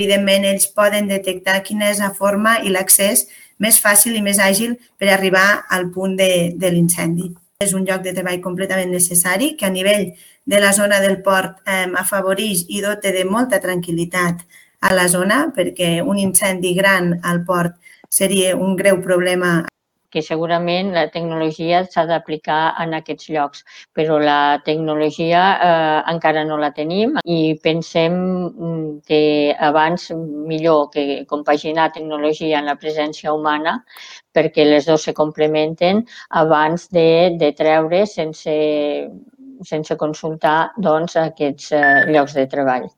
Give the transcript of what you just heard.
Evidentment, ells poden detectar quina és la forma i l'accés més fàcil i més àgil per arribar al punt de l'incendi. És un lloc de treball completament necessari que a nivell de la zona del port afavoreix i dota de molta tranquil·litat a la zona, perquè un incendi gran al port seria un greu problema. Que segurament la tecnologia s'ha d'aplicar en aquests llocs, però la tecnologia encara no la tenim i pensem que abans millor que compaginar tecnologia amb la presència humana perquè les dues se complementen abans de treure sense consultar aquests llocs de treball.